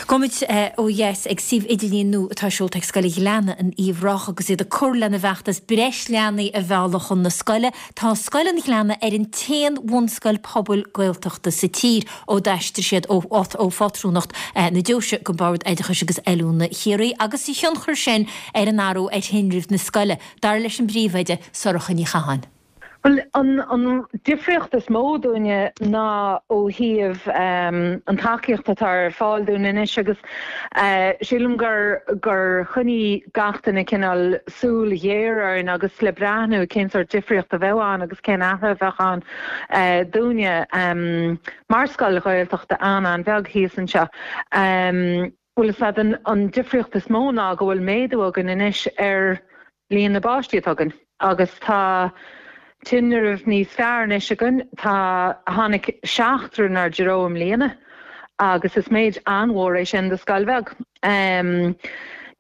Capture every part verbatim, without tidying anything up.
Gabhfaimid ó dheas ag suíomh idirlín nua atá seolta ag Scoil an Ghleanna in Uíbh Ráthach agus iad ag cur lena bhfeachtas breis leanaí a mhealladh chun na scoile. Tá Scoil an Ghleanna ar an t-aon bhunscoil pobail Gaeltachta sa tír ó d'aistrigh siad ó ó phátrúnacht na deoise go Bord Oideachais agus Oiliúna Chiarraí agus a thionchar sin ar an athrú ar thinreamh na scoile, dar leis an bpríomhoide Sorcha Ní Chatháin. Well an an difríocht is mó dúinne ná ó thaobh um, an tacaíocht atá ar fáil dúinn anois agus uh, sílim gur gur choinnigh gach duine cineál súil ghéar orainn agus le breathnú cén sórt difríocht a bheadh ann agus cén athrú a bheadh ann uh, dúinne um, mar scoil Ghaeltachta an an bheag thíos anseo. Um, Bhuel is an, an difríocht is mó ná go bhfuil méadú againn anois ar líon na bpáistí atá againn agus tá tinreamh níos fearr anois againn tá tháinig seachtar inár dtreo i mbliana agus is méid an-mhór é sin do scoil bheag. Um,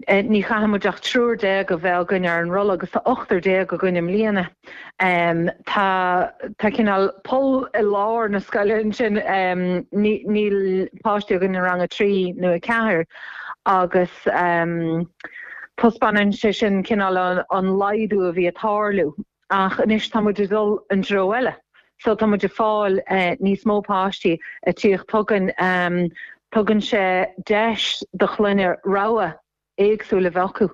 ní chaithfimid ach triúr déag a bheith againn ar an rolla agus tá ochtar déag againn i mbliana. Um, tá tá cineál poll i lár na scoile sin um, níl páistí againn i rang a trí nó a ceathair agus um, taispeánann sé sin cineál an, an laghdú a bhí ag tarlú ach anois tá muid ag dul an treo eile. So tá muid ag fáil uh, níos mó páistí ag tíocht chugainn um, tugann sé deis do chlanna rogha éagsúla bheith acu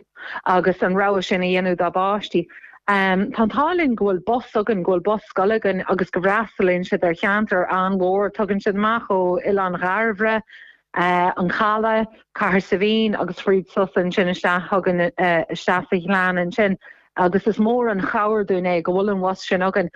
agus an rogha sin a dhéanamh dá bpáistí. Um, tá tálinn go bhfuil bus againn go bhfuil bus scoile againn agus go bhfreastalaíonn siad ar cheantar an-mhór tugann siad amach ó Oileán Dhairbhre, uh, an Caladh, Cathair Saibhín agus fríd suas ansin isteach chugainn uh, isteach sa Ghleann ansin. agus is mór an chabhair dúinn é go bhfuil an bus sin againn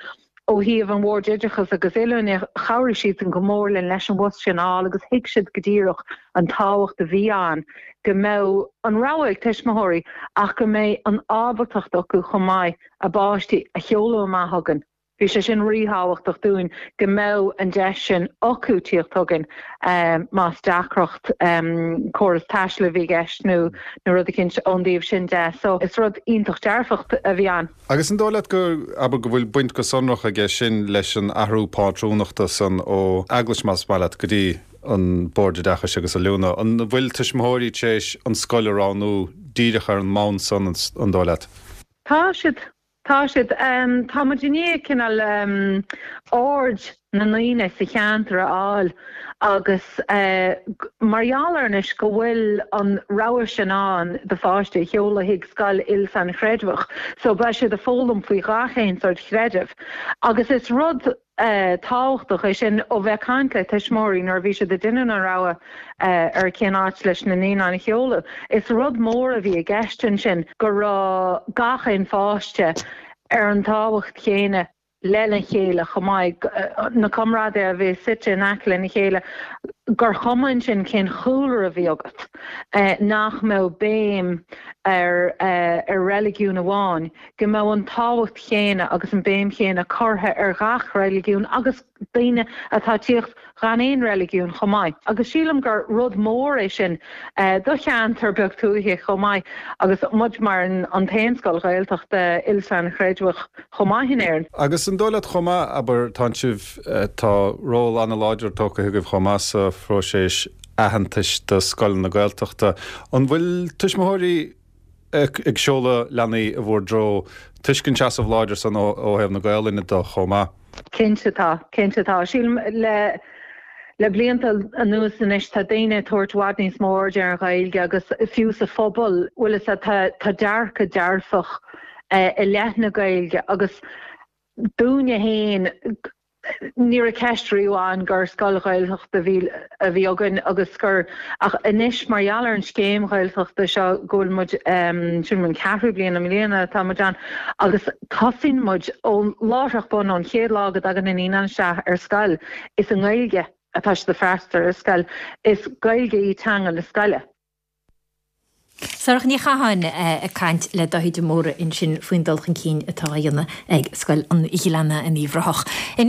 ó thaobh an Bhord Oideachais agus Oiliúna chabhraigh siad an go mór linn leis an bhus sin fháil agus thuig siad go díreach an tábhacht a bhí ann go mbeadh an rogha ag tuismitheoirí ach go mbeidh an ábaltacht acu chomh maith a bpáistí a sheoladh amach chugainn. Bhí sé sin ríthábhachtach dúinn go mbeadh an deis sin acu tíocht chugainn um, más deacracht um, córas taistil a bhí i gceist nó nó rud eicínt ón dtaobh sin de, so is rud iontach dearfach a bhí ann. Agus an dóigh leat go abair go bhfuil baint go sonrach aige sin leis an athrú pátrúnachta san ó eaglais más maith leat go dtí an Bord Oideachais agus Oiliúna. An bhfuil tuismitheoirí tar éis an scoil a roghnú díreach ar an mbonn san an dóigh leat? Tá siad Tá siad um, tá muid i ndiaidh cineál um, aird na ndaoine sa cheantar a fháil agus uh, mar gheall ar anois go bhfuil an rogha sin ann do pháiste a sheoladh chuig scoil il-sainchreidmheach, so beidh siad ag foghlaim faoi gach aon sórt chreideamh. Agus is rud uh, tábhachtach é sin ó bheith ag caint le tuismitheoirí nuair bhí siad ag déanamh an rogha uh, ar cén áit leis na naíonáin a sheoladh. Is rud mór a bhí i gceist ansin go raibh gach aon pháiste ar an tábhacht chéanna lena chéile chomh maith na comrádaithe a bhí suite in aice lena chéile gur chuma ansin cén chúlra a bhí agat eh, nach mbeadh béim ar eh, ar reiligiún amháin, go mbeadh an tábhacht chéanna agus an béim chéanna curtha ar gach reiligiún agus daoine atá ag tíocht gan aon reiligiún chomh maith. Agus sílim gur rud mór é sin eh, do cheantar beag tuaithe chomh maith agus muid mar an, an t-aon scoil Ghaeltachta il-sainchreidmheach chomh maith in Éirinn. Agus an dóigh leat chomh maith abair tá sibh eh, tá ról an-láidir tógtha agaibh chomh maith sa phróiseas aitheantais do scoileanna Gaeltachta. An bhfuil tuismitheoirí ag seoladh leanaí i bhur dtreo toisc an seasamh láidir san ó thaobh na Gaelainne de chomh maith. Cinnte tá, cinnte tá. Sílim le le blianta anuas anois tá daoine ag tabhairt i bhfad níos mó aird ar an Ghaeilge agus fiú sa phobal bhfuil a tá tá dearcadh dearfach eh, i leith na Gaeilge agus dúinne féin ní raibh ceist riamh ann gur scoil Ghaeltachta bhí a bhí againn agus gur ach anois mar gheall ar an scéim Ghaeltachta seo go bhfuil muid um, sin an ceathrú bliain i mbliana atá muid ann agus tosaíonn muid ón láithreach bonn ón chéad lá go dtagann na naíonáin isteach ar scoil is i nGaeilge atá siad ag freastal ar scoil is Gaeilge í teanga na scoile. Sorcha Ní Chatháin ag caint le Dáithí de Mórdha ansin faoin dul chun cinn atá á dhéanamh ag Scoil an Ghleanna in Uíbh Ráthach.